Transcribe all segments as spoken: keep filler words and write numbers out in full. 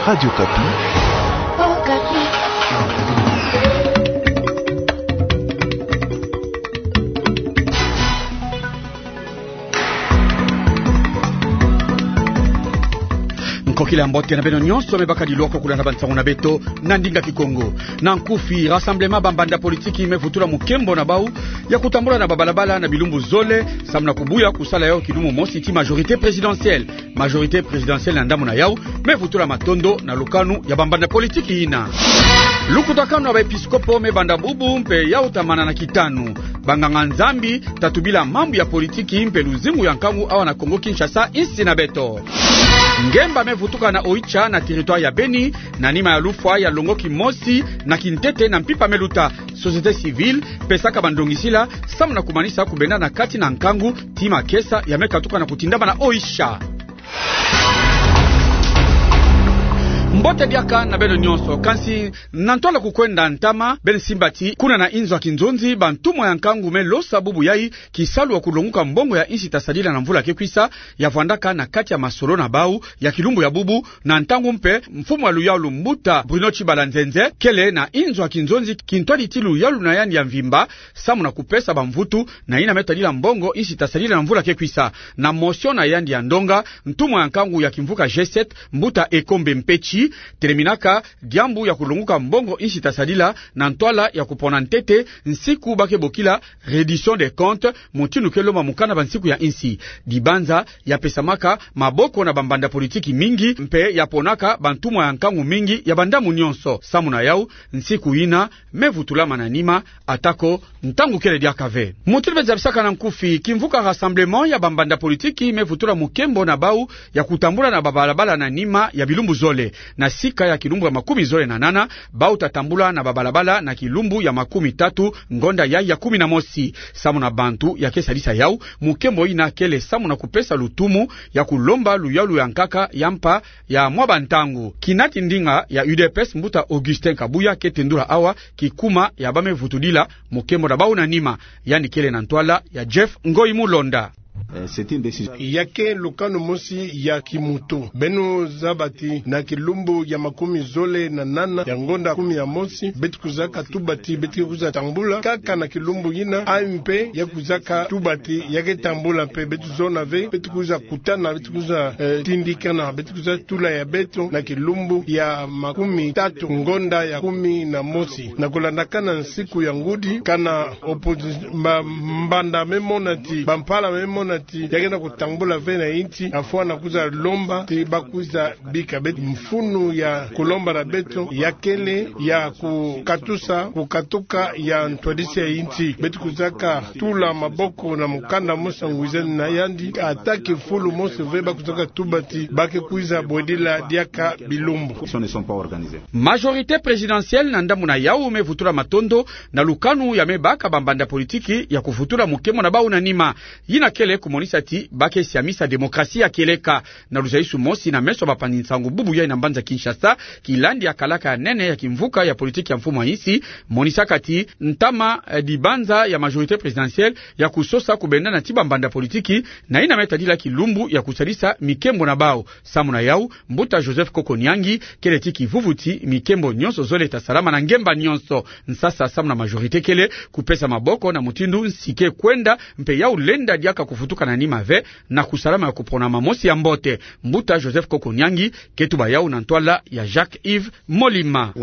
Radio Kapi. Nkokila ya mbote na beno nyonso me baka diloko kulanda bansangu na beto na ndinga Kikongo. Na nkufi, rassemblement bambanda politiki me vutula mukembo na bau ya kutambula na babalabala na bilumbu zole, samu na kubuya kusala yau kilumu mosi ti majorité présidentielle. Majorité présidentielle na ndambu na yau me vutula matondo na lukanu ya bambanda politiki yina. Lukutakanu ya baepiskopo me banda bubu mpe yau tamana na kitanu. Banganga-Nzambi ta tubila mambu ya politiki mpe luzingu ya nkangu awa na Kongo-Kinshasa, insi na beto. Ngemba me vutuka na Oicha na territoire ya Beni, na nima ya lufwa ya longoki mosi na kintete na mpimpa me luta. Société civile pesaka bandongisila samu na kumanisa kubenda na kati na nkangu ti makesa ya me katuka na kutindama na Oicha. Mbote diaka na beno nyonso, kansi na ntwala kukwenda ntama, beno simba ti kuna na inzo ya kinzonzi, bantumwa ya nkangu me losa bubu yai kisalu ya kulonguka mbongo ya insi ta sadila na mvula ke kwisa, ya vwandaka na kati ya masolo na bau ya kilumbu ya bubu, na ntangu mpe mfumu ya luyalu mbuta Bruno Tshibala Nzenze kele na inzo ya kinzonzi kintwadi ti luyalu na yandi ya mvimba, samu na kupesa bamvutu na yina me tadila mbongo insi ta sadila na mvula ke kwisa. Na motion na yandi ya ndonga, ntumwa ya nkangu ya kimvuka G sept, mbuta Ekombe Mpetshi, teleminaka diambu ya kulonguka mbongo insi ta sadila na ntwala ya kupona ntete nsiku ba ke bokila reddition des comptes, mutindu ke lomba mukanda ba nsiku ya insi. Dibanza ya pesamaka maboko na bambanda politiki mingi, mpe ya ponaka bantumwa ya nkangu mingi ya bandamu nyonso. Samu na yau, nsiku yina me vutulama na nima, atako ntangu kele diaka ve. Mutindu be zabisaka na nkufi, kimvuka rassemblement ya bambanda politiki me vutula mukembo na bau ya kutambula na babalabala na nima ya bilumbu zole. Na sika ya kilumbu ya makumi zole na nana, bau ta tambula na babalabala na kilumbu ya makumi tatu ngonda yai ya kumi na mosi. Samu na bantu ya ke sadisa yau, mukembo yina kele samu na kupesa lutumu ya kulomba luyalu ya nkaka ya mpa ya mwa bantangu. Kinati ndinga ya U D P S, mbuta Augustin Kabuya, ke tendula awa kikuma ya ba me vutudila mukembo na bau na nima. Yandi kele na ntwala ya Jeff Ngoyi Mulonda. Ya ke lukanu mosi ya kimutu. Beno zaba ti na kilumbu ya makumi zole na nana ya ngonda kumi ya mosi, beto kwizaka tuba ti beto ke kwiza tambula kaka na kilumbu yina, ayi mpe ya kwizaka tuba ti ya ke tambula mpe. Beto zona ve, beto kwiza kutana, beto kwiza, eh, tindikana, beto kwiza tula ya beto na kilumbu ya makumi tatu ngonda ya kumi na mosi. Na kulandakana nsiku ya ngudi, kana opposi-, mba-, mbanda me mona ti, bampala me mona ti ya ke na kutambula ve na insi, afwa na kwiza lomba ti ba kwiza bika beto mfunu ya kulomba na beto ya kele ya kukatusa, kukatuka ya ntwadisi ya insi. Beto kwizaka tula maboko na mukanda mosi ya ngwizani na yandi, ata kifulu mosi ve ba kwizaka tuba ti ba ke kwiza bwedila diaka bilumbu. Majorité présidentielle na ndambu na yau me vutula matondo na lukanu ya me baka bambanda politiki ya kuvutula mukembo na bau na nima. Yina kele kumonisa ti ba ke siamisa démocratie ya kieleka. Na luzaisu mosi na meso ya bapangi nsangu bubu yai na mbanza Kinshasa, kilandi ya kalaka ya nene ya kimvuka ya politiki ya mfumu ya insi, monisaka ti ntama, eh, dibanza ya majorité présidentielle ya kusosa kubendana ti bambanda politiki na yina me tadila kilumbu ya kusadisa mikembo na bau. Samu na yau, mbuta Joseph Koko-Niangi kele ti kivuvu ti mikembo nyonso zole ta salama na ngemba nyonso. Nsasa samu na majorité kele kupesa maboko na mutindu nsi ke kwenda, mpe yau lenda diaka kuvutuka na nima ve na kusalama ya kuponama mosi ya mbote. Mbuta Joseph Koko-Niangi ke tuba yau na ntwala ya Jacques Yves Molima.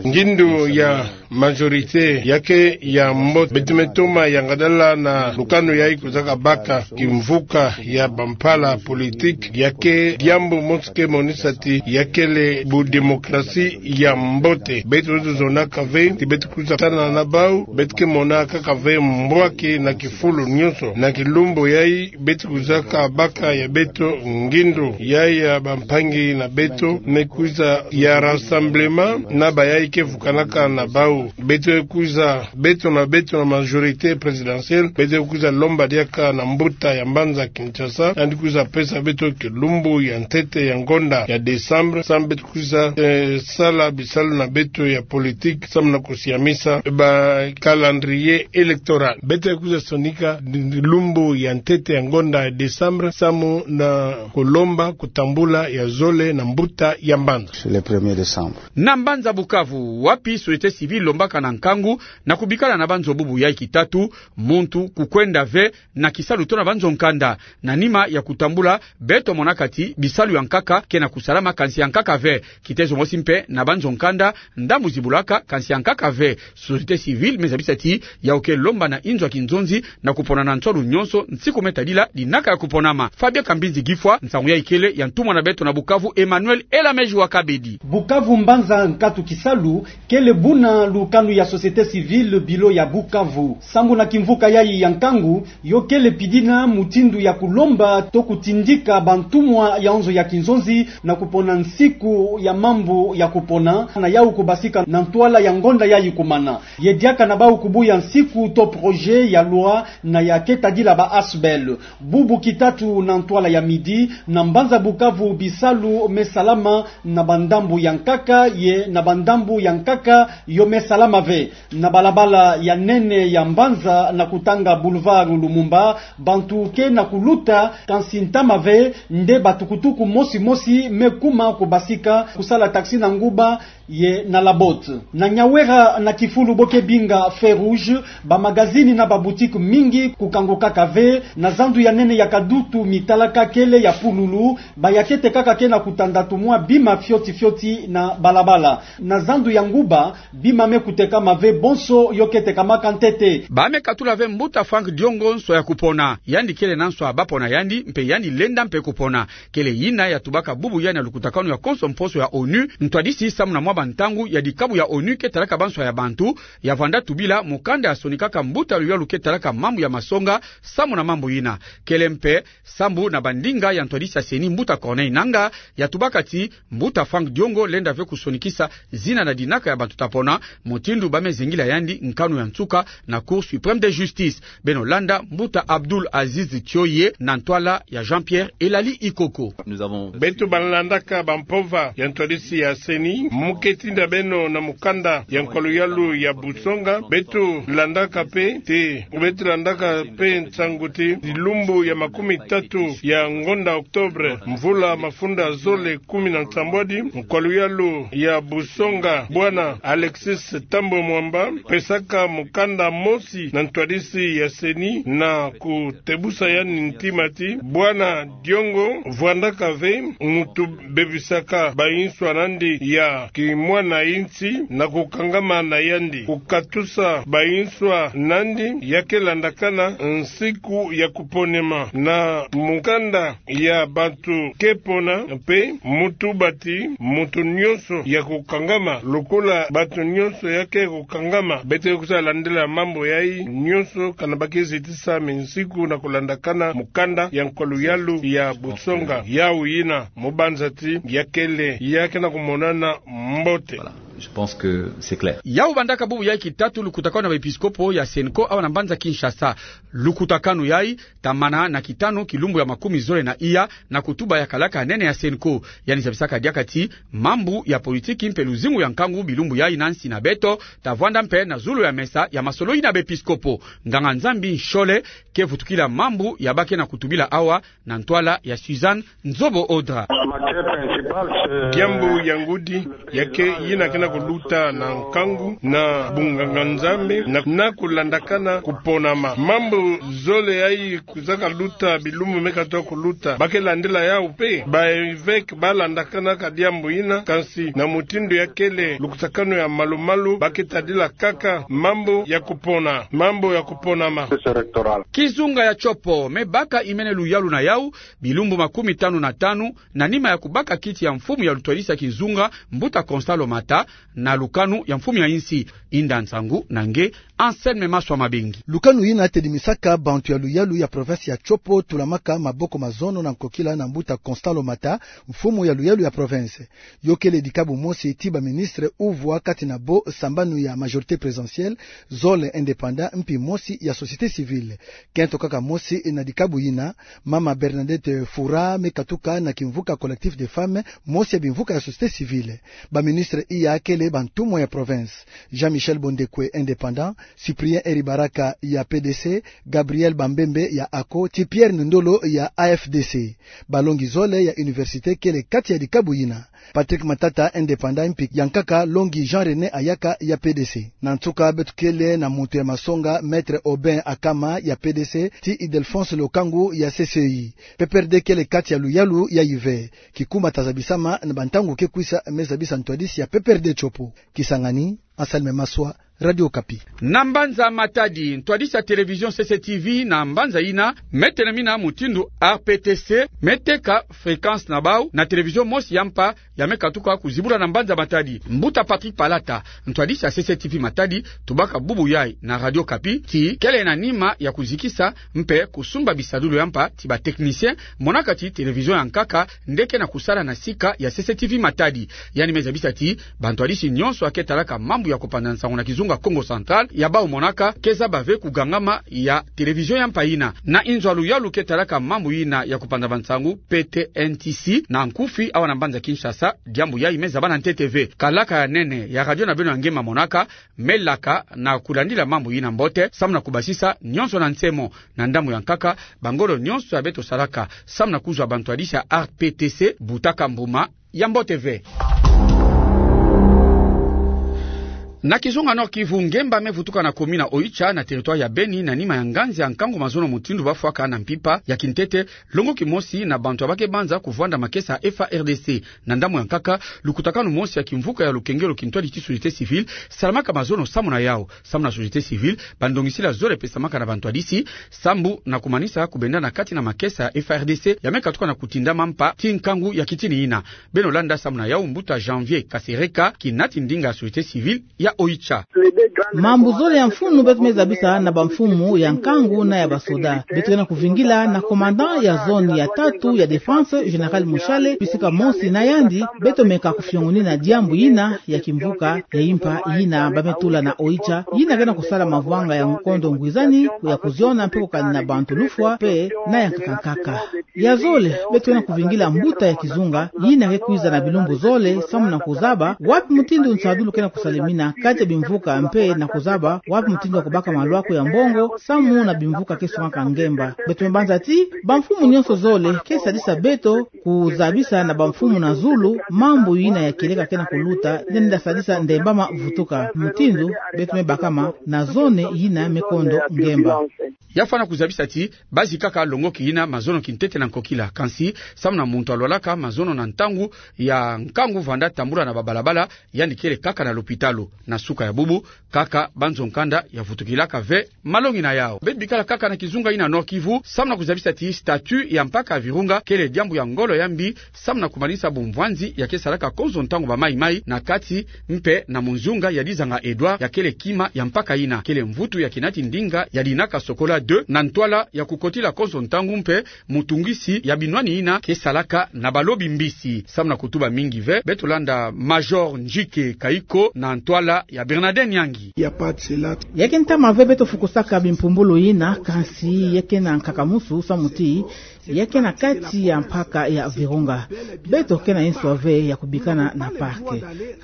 Ngindu ya majorité ya ke ya mbote. Beto me toma yangadala na lukanu yai kwizaka baka kimvuka ya bampala politiki. Ya ke diambu mosi ke monisa ti ya kele bu démocratie ya mbote. Beto, beto zonaka ve ti beto kwiza tana na bau, beto ke mona kaka ve mbwaki na kifulu nyonso. Na kilumbu yai beto kwizaka baka ya beto ngindu. Yai ya bampangi na beto me kwiza ya rassemblement na bayai ke vukanaka na bau. Beto kwiza, beto na beto na majorité présidentielle, beto kwiza lomba diaka na mbuta ya mbanza Kinshasa, yandi kwiza pesa beto kilumbu ya ntete ya ngonda ya décembre, samu beto kwiza, eh, sala bisalu na beto ya politique, samu na kusiamisa ba calendrier électoral. Beto kwiza sonika lumbu ya ntete ya ngonda ya décembre, samu na kulomba kutambula ya zole na mbuta ya mbanza. Sur le premier décembre. Na mbanza Bukavu, wapi société civile lombaka na nkangu na kubikala na banzo bubu yai kitatu, muntu kukwenda ve na kisalu to na banzo nkanda, na nima ya kutambula beto monaka ti bisalu ya nkaka ke na kusalama, kansi ya nkaka ve. Kitezo mosi mpe na banzo nkanda, ndambu zibulaka, kansi ya nkaka ve. Société civile me zabisa ti yau ke lomba na inzo ya kinzonzi na kupona na nswalu nyonso nsiku me tadila dinaka ya kuponama. Fabien Kambinzi Gifwa, nsangu yai kele ya ntumwa na beto na Bukavu, Emmanuel Elameji wa Kabedi. Bukavu, mbanza nkatu kisalu, kele buna lukanu ya société civile bilo ya Bukavu. Sambu na kimvuka yai ya nkangu, yo kele pidina mutindu ya kulomba to kutindika bantumwa ya nzo ya kinzonzi na kupona nsiku ya mambu ya kupona, na yau kubasika na ntwala ya ngonda yai kumana. Ye diaka na bau kubuya nsiku to projet ya loi na ya ke tadila ba Asbl. Bubu kitatu na ntwala ya midi, na mbanza Bukavu bisalu me salama na bandambu ya nkaka, ye na bandambu ya nkaka yo me salama ve. Na balabala ya nene ya mbanza na kutanga boulevard Lumumba, bantu ke na kuluta, kansi ntama ve, nde batukutuku mosi mosi me kuma kubasika kusala taxi na nguba ye na Labotte. Na Nyawera na kifulu bo ke binga Feu Rouge, ba magazini na ba boutique mingi kukangukaka ve. Na zandu ya nene ya Kadutu, mitalaka kele ya pululu, ba ya ke tekaka ke na kutanda tumwa bima fioti fioti na balabala. Na zandu ya nguba, bima me kutekama ve, bonso yo ke tekamaka ntete. Ba me katula ve mbuta Franck Diongo nswa ya kupona. Yandi kele na nswa ba pona yandi, mpe yandi lenda mpe kupona. Kele yina ya tubaka bubu yai na lukutakanu ya konso mposo ya onu, ntwadisi samu na mwa bantangu ya dikabu ya onu ke talaka banswa ya bantu, ya vwanda tubila mukanda ya sonikaka mbuta luyalu ke talaka mambu ya masonga, samu na mambu yina. Kele mpe sambu na bandinga ya ntwadisi ya CENI, mbuta Corneille Nangaa, ya tubaka ti mbuta Franck Diongo lenda ve kusonikisa zina na dinaka ya bantu ta pona, mutindu ba me zengila yandi nkanu ya nsuka na Cour suprême de justice. Beno landa mbuta Abdoul Aziz Thioye na ntwala ya Jean-Pierre Elali Ikoko. Beto balandaka bampova ya ntwadisi ya CENI, mu ke tinda beno na mukanda ya nkwa luyalu ya busonga. Beto landaka mpe te, beto landaka mpe nsangu ti, dilumbu ya makumi tatu ya ngonda octobre, mvula mafunda zole kumi na nsambwadi, nkwa luyalu ya busonga, bwana Alexis Thambwe Mwamba, pesaka mukanda mosi na ntwadisi ya CENI na kutebusa yandi ntima ti bwana Diongo vwandaka ve muntu bebisaka banswa nandi ya kimwana insi na kukangama na yandi, kukatusa banswa nandi, ya ke landakana nsiku ya kuponema na mukanda ya bantu ke pona, mpe mu tuba ti muntu nyonso ya kukangama, lokola bantu nyonso ya ke kukangama, beto ke kusa landila mambu yai nyonso, kana ba ke zitisa minsiku na kulandakana mukanda ya nkwa luyalu ya busonga. Yau yina, mu banza ti ya kele, ya ke na kumonana mbote. Voilà. Je pense que c'est clair. Yau bandaka bubu yai kitatu lukutakanu na baepiskopo ya CENCO awa na mbanza Kinshasa. Lukutakanu yai ta mana na kitanu kilumbu ya makumi zole na iya, na kutuba ya kalaka nene ya CENCO. Yandi zabisaka diaka ti mambu ya politiki mpe luzingu ya nkangu bilumbu yai na nsi na beto ta vwanda mpe na zulu ya mesa ya masolo yina baepiskopo. Nganga-Nzambi Nshole ke vutukila mambu ya ba ke na kutubila awa na ntwala ya Suzanne Nzobo Odra. Diambu ya ngudi ya ke yina ke na kuluta na nkangu na bunganga-Nzambi na, na kulandakana kuponama. Mambu zole yai kwiza ka luta bilumbu me katuka kuluta, ba ke landila yau mpe. Ba evêque ba landakanaka diambu yina, kansi na mutindu ya kele lukutakanu ya malu-malu, ba ke tadila kaka mambu ya kupona, mambu ya kuponama. Kizunga ya Tshopo me baka imene luyalu na yau bilumbu makumi tanu na tanu, na nima ya kubaka kiti ya mfumu ya lutwadisi ya kizunga, mbuta Constant Lomata, na lukanu ya mfumu ya insi. Inda nsangu na nge, Anselme Maswa Mabengi. Lukanu yina tedimisaka bantu ya luyalu ya province ya Tshopo tulamaka maboko mazono na nkokila na mbuta Constant Lomata, mfumu ya luyalu ya province. Yo kele dikabu mosi ti baministre uvwa kati na bo sambanu ya majorité présidentielle, zole indépendant, mpi mosi ya société civile. Kento kaka mosi na dikabu yina, mama Bernadette Fura me katuka na kimvuka Collectif des Femmes, mosi ya bimvuka ya société civile. Baministre iya kele bantumwa ya province. Jean-Michel Bondekwe, indépendant, Cyprien Eribaraka ya P D C, Gabriel Bambembe ya ACO, ti Pierre Nundolo ya A F D C. Balongi zole ya université kele kati ya dikabu yina. Patrick Matata, indépendant, mpi ya nkaka longi Jean René Ayaka ya P D C. Na nsuka, beto kele na muntu ya masonga, Maître Aubin Akama ya P D C, ti Ildephonse Lokangu ya C C I. P P R D kele kati ya luyalu yayi ve. Kikuma ta zabisama na bantangu ke kwisa, me zabisa ntwadisi ya P P R D tiopo. Kisangani, Anselme Maswa, Radio Okapi. Na mbanza Matadi, ntwadisi ya télévision C C T V na mbanza yina, me telemina mutindu R P T C, me teka fréquence na bau na télévision mosi ya mpa, ya me katuka kuzibula na mbanza Matadi. Mbuta Patrick Palata, ntwadisi ya C C T V Matadi, tubaka bubu yayi na Radio Okapi ti kele na nima ya kuzikisa mpe kusumba bisadulu ya mpa ti ba technicien, monaka ti télévision ya nkaka nde ke na kusala na sika ya C C T V Matadi. Yandi me zabisa ti bantwadisi nyonso ya ke talaka mambu ya kupanza nsangu na kizunga Kongo Central, ya bau monaka ke zaba ve kugangama ya télévision ya mpa yina. Na inzo ya luyalu ke talaka mambu yina ya kupanza bansangu, P T N T C, na nkufi awa na mbanza Kinshasa, diambu yayi me zaba na ntete ve. Kalaka ya nene ya radio na beno ya Ngema monaka me laka na kulandila mambu yina mbote, samu na kubasisa nyonso na nsemo. Na ndambu ya nkaka, bangolo nyonso ya beto salaka samu na kuzwa bantwadisi ya R P T C butaka mbuma ya mbote ve. Na kizunga Nord-Kivu, ngemba me vutuka na commune ya Oicha, na territoire ya Beni, na nima ya nganzi ya nkangu mazono mutindu bafwaka na mpimpa ya kintete, longo kimosi na bantu ya ba ke banza kuvwanda makesa ya F A R D C. Na ndambu ya nkaka, lukutakanu mosi ya kimvuka ya lukengelo kintwadi ti société civile salamaka mazono samu na yawu. Samu na société civile, bandongisila zole pesamaka na bantwadisi sambu na kumanisa kubenda na kati na makesa ya F A R D C ya me katuka na kutindama mpa ti nkangu ya kitini yina. Beno landa samu na yawu mbuta Janvier Kasereka, kinati ndinga ya société civile ya Oicha. Mambu zole ya mfunu beto me zabisa na bamfumu ya nkangu na ya basoda. Beto ke na kuvingila na commandant ya zone ya tatu ya défense, général Mushale, bisika mosi na yandi, beto meka kufiongonina diambu yina ya kimvuka ya impa yina ba me tula na Oicha, yina ke na kusala mavwanga ya nkondo ngwizani, ya kuziona mpe kukani na bantu lufwa mpe na ya nkaka nkaka. Ya zole, beto ke na kuvingila mbuta ya kizunga yina ke kwiza na bilumbu zole samu na kuzaba wapi mutindu nsadulu ke na kusalemina kati ya bimvuka mpe na kuzaba wapi mutindu ya kubaka malwaku ya mbongo samu na bimvuka ke songaka ngemba. Beto me banza ti bamfumu nyonso zole ke sadisa beto kuzabisa na bamfumu na zulu mambu yina ya kieleka ke na kuluta, nde nda sadisa ndembama vutuka mutindu beto me bakama na zone yina me kondo ngemba. Ya fwana kuzabisa ti bazi kaka longoki yina mazono kintete na nkokila, kansi samu na muntu alwalaka mazono na ntangu ya nkangu vanda tambula na babalabala, yandi kele kaka na lopitalo. Na suka ya bubu, kaka banzo nkanda ya vutukilaka ve malongi na yawu. Beto bikala kaka na kizunga yina Nord-Kivu, samu na kuzabisa ti statut ya mpaka ya Virunga kele diambu ya ngolo ya mbi samu na kumanisa bumvwanzi ya ke salaka konzo ntangu ba maimai na kati mpe na munzunga ya Dizanga Edouard, ya kele kima ya mpaka yina. Kele mvutu ya kinati ndinga ya Dinaka Sokola deux na ntwala ya kukotila konzo ntangu mpe mutungisi ya binwani yina ke salaka na balobi mbisi. Samu na kutuba mingi ve, beto landa Major Njike Kaiko na ntwala ya Bernadette Nyangi. Ya ke ntama ve beto fukusaka bimpumbulu yina, kansi ya ke na nkakamusu samu ti ya ke na kati ya mpaka ya Virunga. Beto ke na nswa ve ya kubikana na parc.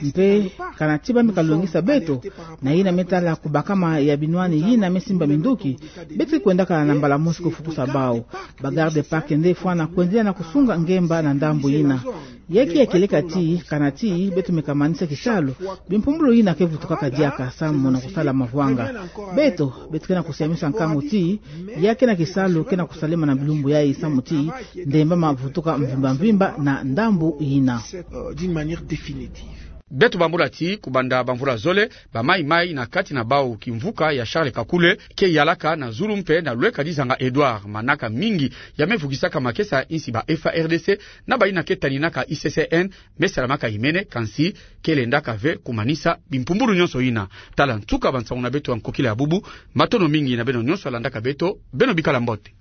Mpe kana ti ba me kalongisa beto na yina me tala kubakama ya binwani yina me simba minduki, beto ke kwendaka na mbala mosi kufukusa bawu. Ba garde parc nde fwana kwendela na kusunga ngemba na ndambu yina. Ya ke ya kieleka ti kana ti beto me kamanisa kisalu, bimpumbulu yina ke vutukaka diaka samu na kusala mavwanga. Beto, beto ke na kusiamisa nkangu ti ya ke na kisalu ke na kusalema na bilumbu yayi samu ti ndembama vutuka mvimba mvimba na ndambu yina. Beto bambula ti kubanda bamvula zole, ba maimai na kati na bawu kimvuka ya Charles Kakule ke yalaka na zulu mpe na lweka Dizanga Edouard. Manaka mingi ya me vugisaka makesa ya insi ba F A R D C na bayina ke taninaka I C C N me salamaka imene, kansi ke lendaka ve kumanisa bimpumbulu nyonso yina. Tala nsuka bansangu na beto ya nkokila ya bubu. Matondo mingi na beno nyonso ya landaka beto. Beno bikala mbote.